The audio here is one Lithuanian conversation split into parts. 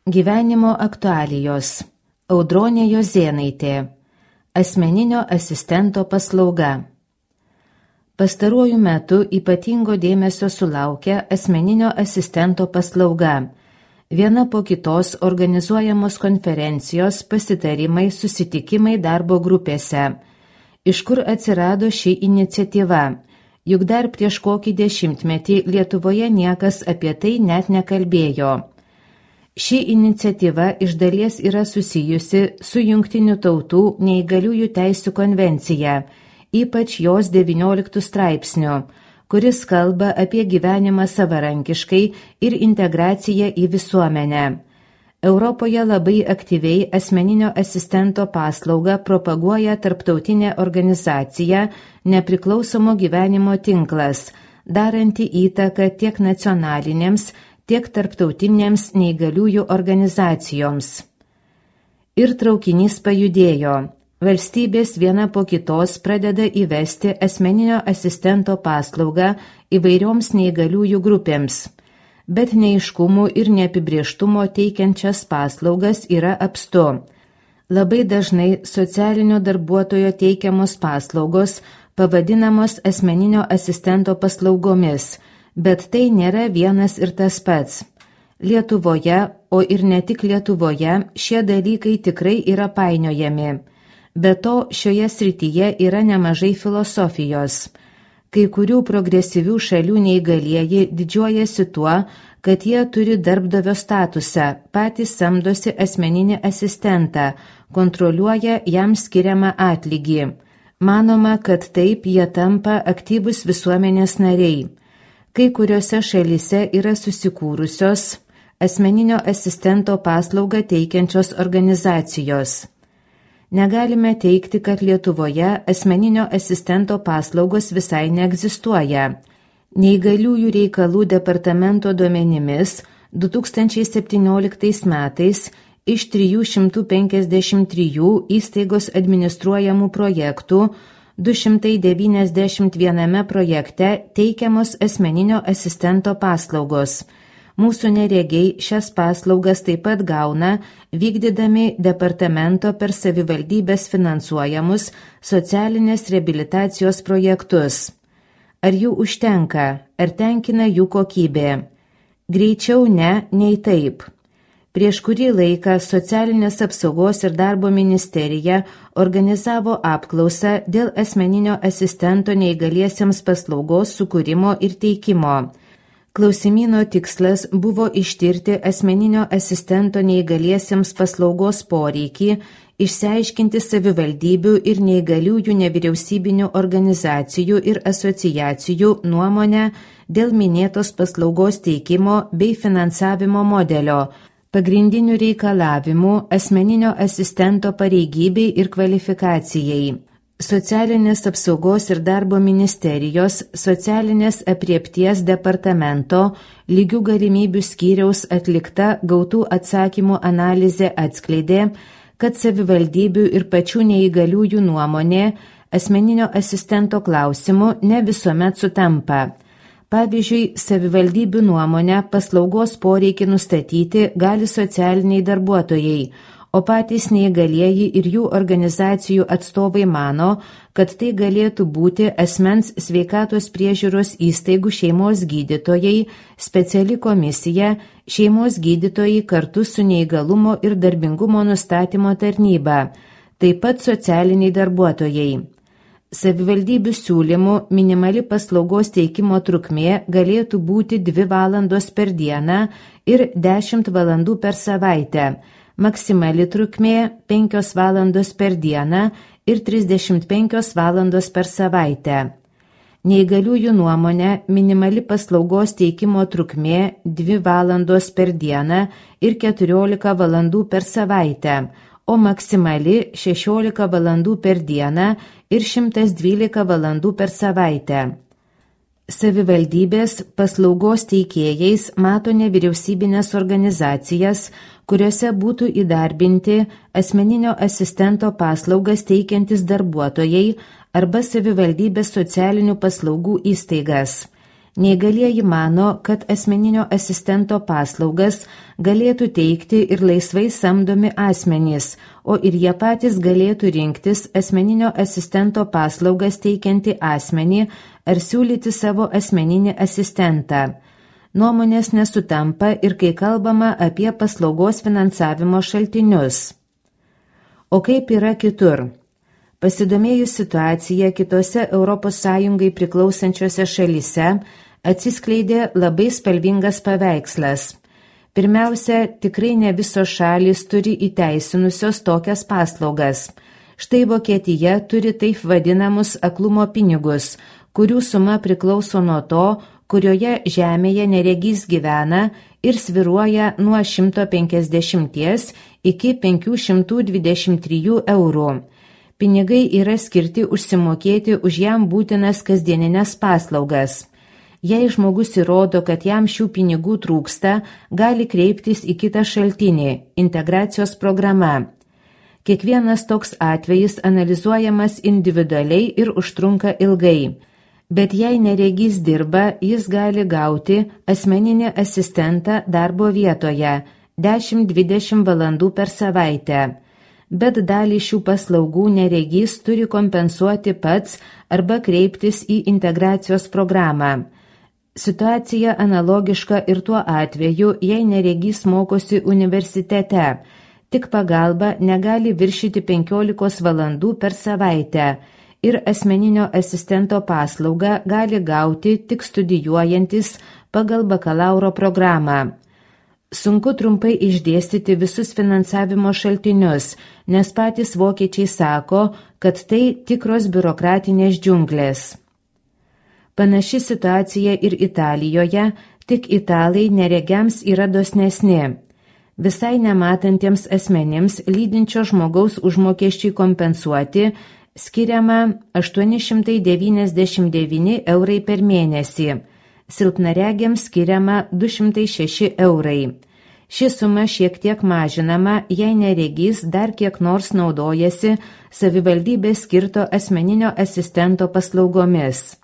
Gyvenimo aktualijos. Audronė Jozėnaitė. Asmeninio asistento paslauga. Pastaruoju metu ypatingo dėmesio sulaukia asmeninio asistento paslauga. Viena po kitos organizuojamos konferencijos, pasitarimai, susitikimai darbo grupėse. Iš kur atsirado ši iniciatyva? Juk dar prieš kokį 10 metį Lietuvoje niekas apie tai net nekalbėjo. Ši iniciatyva iš dalies yra susijusi su Jungtinių tautų neįgaliųjų teisių konvencija, ypač jos 19 straipsniu, kuris kalba apie gyvenimą savarankiškai ir integraciją į visuomenę. Europoje labai aktyviai asmeninio asistento paslaugą propaguoja tarptautinė organizacija Nepriklausomo gyvenimo tinklas, daranti įtaką tiek nacionalinėms, tiek tarptautinėms neįgaliųjų organizacijoms. Ir traukinys pajudėjo. Valstybės viena po kitos pradeda įvesti asmeninio asistento paslaugą įvairioms neįgaliųjų grupėms. Bet neaiškumų ir neapibrėžtumo teikiančias paslaugas yra apstu. Labai dažnai socialinio darbuotojo teikiamos paslaugos pavadinamos asmeninio asistento paslaugomis, bet tai nėra vienas ir tas pats. Lietuvoje, o ir ne tik Lietuvoje, šie dalykai tikrai yra painiojami. Be to, šioje srityje yra nemažai filosofijos. Kai kurių progresyvių šalių neįgalieji didžiuojasi tuo, kad jie turi darbdavio statusą, patys samdosi asmeninį asistentą, kontroliuoja jam skiriamą atlygį. Manoma, kad taip jie tampa aktyvus visuomenės nariai. Kai kuriuose šalyse yra susikūrusios asmeninio asistento paslaugą teikiančios organizacijos. Negalime teigti, kad Lietuvoje asmeninio asistento paslaugos visai neegzistuoja. Neįgaliųjų reikalų departamento duomenimis 2017 metais iš 353 įstaigos administruojamų projektų 291 projekte teikiamos asmeninio asistento paslaugos. Mūsų neregiai šias paslaugas taip pat gauna, vykdydami departamento per savivaldybės finansuojamus socialinės reabilitacijos projektus. Ar jų užtenka, ar tenkina jų kokybė? Greičiau ne, nei taip. Prieš kurį laiką Socialinės apsaugos ir darbo ministerija organizavo apklausą dėl asmeninio asistento neįgaliesiems paslaugos sukūrimo ir teikimo. Klausimyno tikslas buvo ištirti asmeninio asistento neįgaliesiems paslaugos poreikį, išsiaiškinti savivaldybių ir neįgaliųjų nevyriausybinių organizacijų ir asociacijų nuomonę dėl minėtos paslaugos teikimo bei finansavimo modelio, pagrindinių reikalavimų asmeninio asistento pareigybei ir kvalifikacijai. Socialinės apsaugos ir darbo ministerijos socialinės apriepties departamento lygių galimybių skyriaus atlikta gautų atsakymų analizė atskleidė, kad savivaldybių ir pačių neįgaliųjų nuomonė asmeninio asistento klausimu ne visuomet sutampa. Pavyzdžiui, savivaldybių nuomonę paslaugos poreikį nustatyti gali socialiniai darbuotojai, o patys neįgalieji ir jų organizacijų atstovai mano, kad tai galėtų būti asmens sveikatos priežiūros įstaigų šeimos gydytojai, speciali komisija, šeimos gydytojai kartu su neįgalumo ir darbingumo nustatymo tarnyba, taip pat socialiniai darbuotojai. Savivaldybių siūlymų minimali paslaugos teikimo trukmė galėtų būti 2 valandos per dieną ir 10 valandų per savaitę, maksimali trukmė 5 valandos per dieną ir 35 valandos per savaitę. Neįgaliųjų nuomonė minimali paslaugos teikimo trukmė 2 valandos per dieną ir 14 valandų per savaitę, o maksimali 16 valandų per dieną ir 112 valandų per savaitę. Savivaldybės paslaugos teikėjais mato nevyriausybinės organizacijas, kuriuose būtų įdarbinti asmeninio asistento paslaugas teikiantis darbuotojai arba savivaldybės socialinių paslaugų įstaigas. Neįgalieji mano, kad asmeninio asistento paslaugas galėtų teikti ir laisvai samdomi asmenys, o ir jie patys galėtų rinktis asmeninio asistento paslaugas teikiantį asmenį ar siūlyti savo asmeninį asistentą. Nuomonės nesutampa ir kai kalbama apie paslaugos finansavimo šaltinius. O kaip yra kitur? Pasidomėjus situaciją kitose ES priklausančiose šalyse, atsiskleidė labai spalvingas paveikslas. Pirmiausia, tikrai ne visos šalys turi įteisinusios tokias paslaugas. Štai Vokietija turi taip vadinamus aklumo pinigus, kurių suma priklauso nuo to, kurioje žemėje neregys gyvena ir svyruoja nuo 150 iki 523 eurų. Pinigai yra skirti užsimokėti už jam būtinas kasdieninės paslaugas. Jei žmogus įrodo, kad jam šių pinigų trūksta, gali kreiptis į kitą šaltinį – integracijos programa. Kiekvienas toks atvejis analizuojamas individualiai ir užtrunka ilgai. Bet jei neregys dirba, jis gali gauti asmeninį asistentą darbo vietoje 10-20 valandų per savaitę. Bet dalį šių paslaugų neregys turi kompensuoti pats arba kreiptis į integracijos programą. Situacija analogiška ir tuo atveju, jei neregys mokosi universitete. Tik pagalba negali viršyti 15 valandų per savaitę ir asmeninio asistento paslaugą gali gauti tik studijuojantis pagal bakalauro programą. Sunku trumpai išdėstyti visus finansavimo šaltinius, nes patys vokiečiai sako, kad tai tikros biurokratinės džiunglės. Panaši situacija ir Italijoje, tik italai neregiams yra dosnesni. Visai nematantiems asmenims lydinčio žmogaus užmokesčiui kompensuoti skiriama 899 eurai per mėnesį, silpnaregiams skiriama 206 eurai. Ši suma šiek tiek mažinama, jei neregys dar kiek nors naudojasi savivaldybės skirto asmeninio asistento paslaugomis.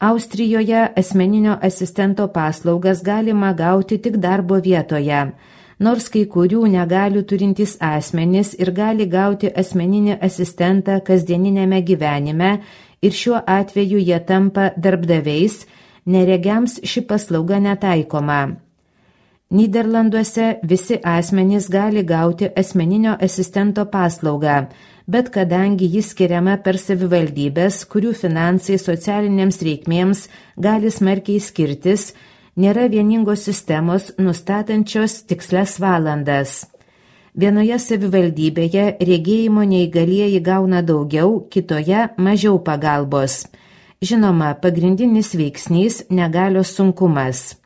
Austrijoje asmeninio asistento paslaugas galima gauti tik darbo vietoje, nors kai kurių negalių turintys asmenys ir gali gauti asmeninį asistentą kasdieninėme gyvenime ir šiuo atveju jie tampa darbdaviais, neregiams ši paslauga netaikoma. Nyderlanduose visi asmenys gali gauti asmeninio asistento paslaugą, bet kadangi jis skiriama per savivaldybės, kurių finansai socialinėms reikmėms gali smarkiai skirtis, nėra vieningos sistemos nustatančios tikslias valandas. Vienoje savivaldybėje regėjimo neįgalieji gauna daugiau, kitoje mažiau pagalbos. Žinoma, pagrindinis veiksnys negalios sunkumas.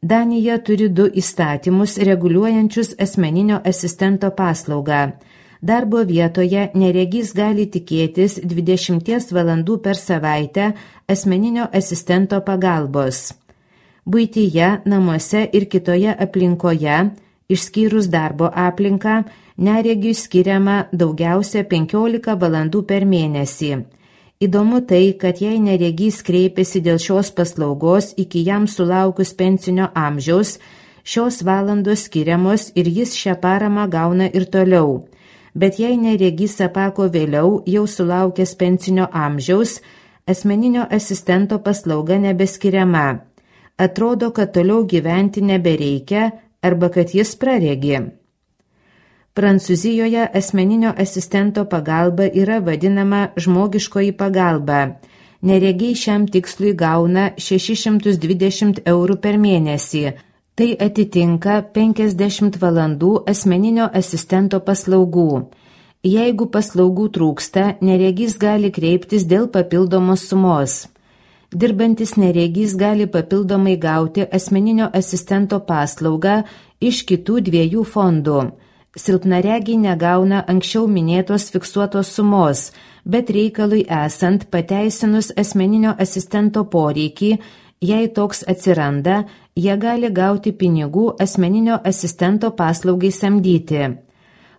Danija turi 2 įstatymus reguliuojančius asmeninio asistento paslaugą. Darbo vietoje neregys gali tikėtis 20 valandų per savaitę asmeninio asistento pagalbos. Buityje, namuose ir kitoje aplinkoje, išskyrus darbo aplinką, neregiui skiriama daugiausia 15 valandų per mėnesį. Įdomu tai, kad jei neregys kreipiasi dėl šios paslaugos iki jam sulaukus pensinio amžiaus, šios valandos skiriamos ir jis šią paramą gauna ir toliau. Bet jei neregys apako vėliau, jau sulaukęs pensinio amžiaus, asmeninio asistento paslauga nebeskiriama. Atrodo, kad toliau gyventi nebereikia arba kad jis praregi. Prancūzijoje asmeninio asistento pagalba yra vadinama žmogiškoji pagalba. Neregiai šiam tikslui gauna 620 eurų per mėnesį. Tai atitinka 50 valandų asmeninio asistento paslaugų. Jeigu paslaugų trūksta, neregys gali kreiptis dėl papildomos sumos. Dirbantis neregys gali papildomai gauti asmeninio asistento paslaugą iš kitų 2 fondų. Silpnaregiai negauna anksčiau minėtos fiksuotos sumos, bet reikalui esant pateisinus asmeninio asistento poreikį, jei toks atsiranda, jie gali gauti pinigų asmeninio asistento paslaugai samdyti.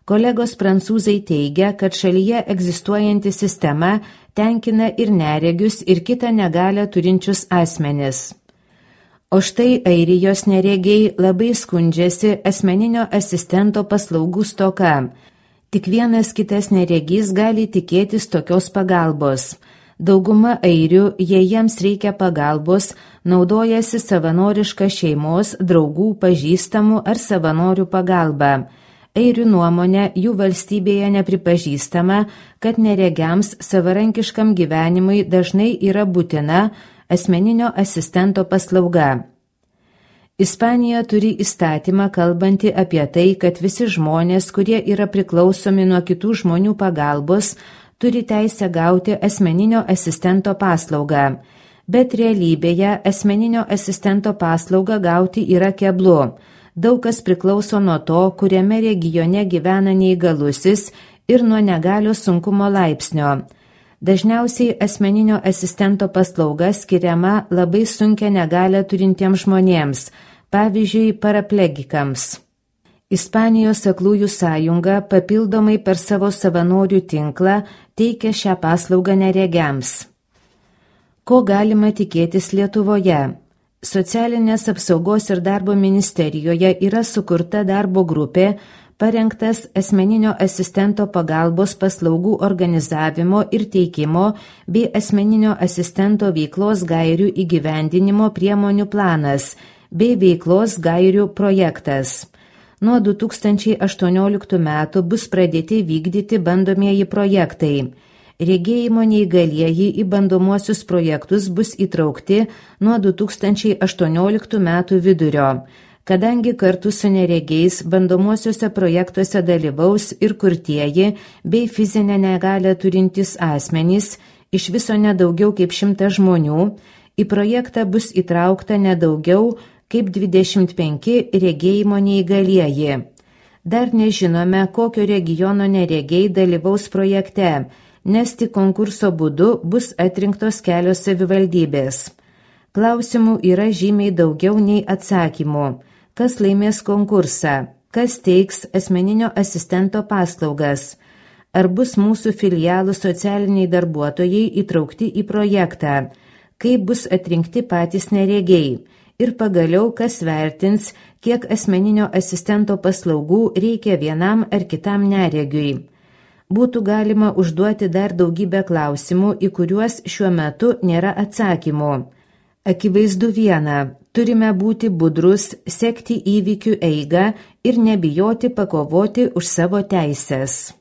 Kolegos prancūzai teigia, kad šalyje egzistuojanti sistema tenkina ir neregius, ir kitą negalią turinčius asmenis. O štai Airijos neregiai labai skundžiasi asmeninio asistento paslaugų stoka. Tik vienas kitas neregys gali tikėtis tokios pagalbos. Dauguma airių, jei jiems reikia pagalbos, naudojasi savanoriška šeimos, draugų, pažįstamų ar savanorių pagalba. Airių nuomonė, jų valstybėje nepripažįstama, kad neregiams savarankiškam gyvenimui dažnai yra būtina asmeninio asistento paslauga. Ispanija turi įstatymą kalbantį apie tai, kad visi žmonės, kurie yra priklausomi nuo kitų žmonių pagalbos, turi teisę gauti asmeninio asistento paslaugą, bet realybėje asmeninio asistento paslaugą gauti yra keblu. Daug kas priklauso nuo to, kuriame regione gyvena neįgalusis ir nuo negalios sunkumo laipsnio. Dažniausiai asmeninio asistento paslauga skiriama labai sunkią negalią turintiems žmonėms, pavyzdžiui, paraplegikams. Ispanijos aklųjų sąjunga papildomai per savo savanorių tinklą teikia šią paslaugą neregiams. Ko galima tikėtis Lietuvoje? Socialinės apsaugos ir darbo ministerijoje yra sukurta darbo grupė, parengtas asmeninio asistento pagalbos paslaugų organizavimo ir teikimo bei asmeninio asistento veiklos gairių įgyvendinimo priemonių planas bei veiklos gairių projektas. Nuo 2018 metų bus pradėti vykdyti bandomieji projektai. Regėjimo neįgalieji į bandomuosius projektus bus įtraukti nuo 2018 metų vidurio, kadangi kartu su neregiais bandomuosiuose projektuose dalyvaus ir kurtieji bei fizinę negalią turintys asmenys, iš viso nedaugiau kaip 100 žmonių, į projektą bus įtraukta nedaugiau kaip 25 regėjimo neįgalieji. Dar nežinome, kokio regiono neregiai dalyvaus projekte, nes tik konkurso būdu bus atrinktos kelios savivaldybės. Klausimų yra žymiai daugiau nei atsakymų. Kas laimės konkursą? Kas teiks asmeninio asistento paslaugas? Ar bus mūsų filialų socialiniai darbuotojai įtraukti į projektą? Kaip bus atrinkti patys neregiai? Ir pagaliau, kas vertins, kiek asmeninio asistento paslaugų reikia vienam ar kitam neregiui? Būtų galima užduoti dar daugybę klausimų, į kuriuos šiuo metu nėra atsakymų. Akivaizdu viena, turime būti budrus, sekti įvykių eigą ir nebijoti pakovoti už savo teises.